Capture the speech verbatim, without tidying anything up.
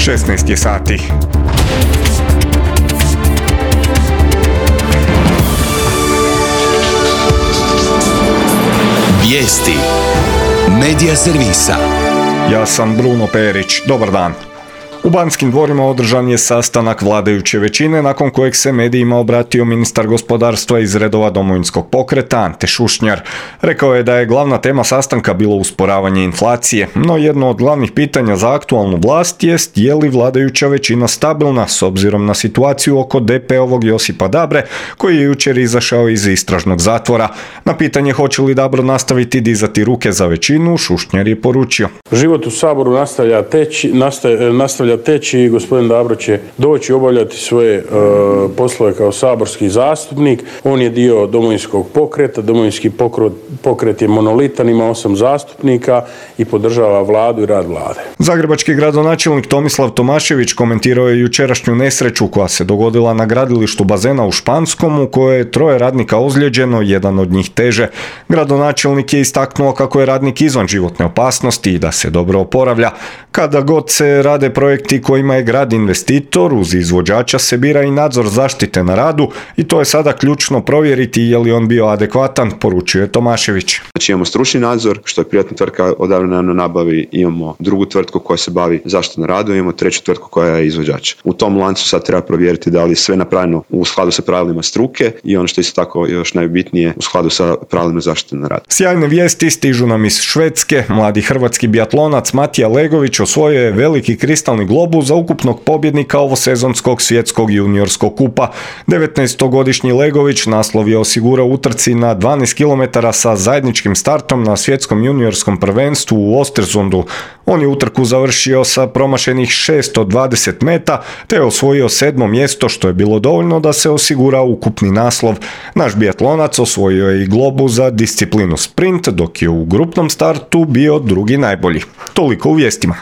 šesnaest je sati. Vijesti Medija servisa. Ja sam Bruno Perić. Dobar dan. U Banskim dvorima održan je sastanak vladajuće većine nakon kojeg se medijima obratio ministar gospodarstva iz redova Domovinskog pokreta Ante Šušnjar. Rekao je da je glavna tema sastanka bilo usporavanje inflacije, no jedno od glavnih pitanja za aktualnu vlast jest je li vladajuća većina stabilna s obzirom na situaciju oko D P-ovog Josipa Dabre koji je jučer izašao iz istražnog zatvora. Na pitanje hoće li Dabro nastaviti dizati ruke za većinu, Šušnjar je poručio: Život u Saboru nastavlja teći, nastavlja, nastavlja teći i gospodin Dabro će doći obavljati svoje e, poslove kao saborski zastupnik. On je dio Domovinskog pokreta, Domovinski pokret, pokret je monolitan, ima osam zastupnika i podržava vladu i rad vlade. Zagrebački gradonačelnik Tomislav Tomašević komentirao je jučerašnju nesreću koja se dogodila na gradilištu bazena u Španskom u kojoj je troje radnika ozlijeđeno, jedan od njih teže. Gradonačelnik je istaknuo kako je radnik izvan životne opasnosti i da se dobro oporavlja. Kada god se rade projekti kojima je grad investitor, uz izvođača se bira i nadzor zaštite na radu i to je sada ključno provjeriti je li on bio adekvatan, poručio je Tomašević. Znači imamo stručni nadzor, što je privatna tvrtka odavljena na nabavi, imamo drugu tvrtku koja se bavi zaštitom na radu, imamo treću tvrtku koja je izvođač. U tom lancu sad treba provjeriti da li je sve napravljeno u skladu sa pravilima struke i ono što je isto tako još najbitnije u skladu sa pravilima zaštite na radu. Sjajne vijesti stižu nam iz Švedske. Mladi hrvatski biatlonac Matija Legović osvojio je veliki kristalni globus za ukupnog pobjednika ovosezonskog svjetskog juniorskog kupa. devetnaestogodišnji Legović naslov je osigurao utrci na dvanaest kilometara sa zajedničkim startom na svjetskom juniorskom prvenstvu u Ostersundu. On je utrku završio sa promašenih šesto dvadeset meta te je osvojio sedmo mjesto što je bilo dovoljno da se osigura ukupni naslov. Naš biatlonac osvojio je i globus za disciplinu sprint dok je u grupnom startu bio drugi najbolji. Toliko u vijestima.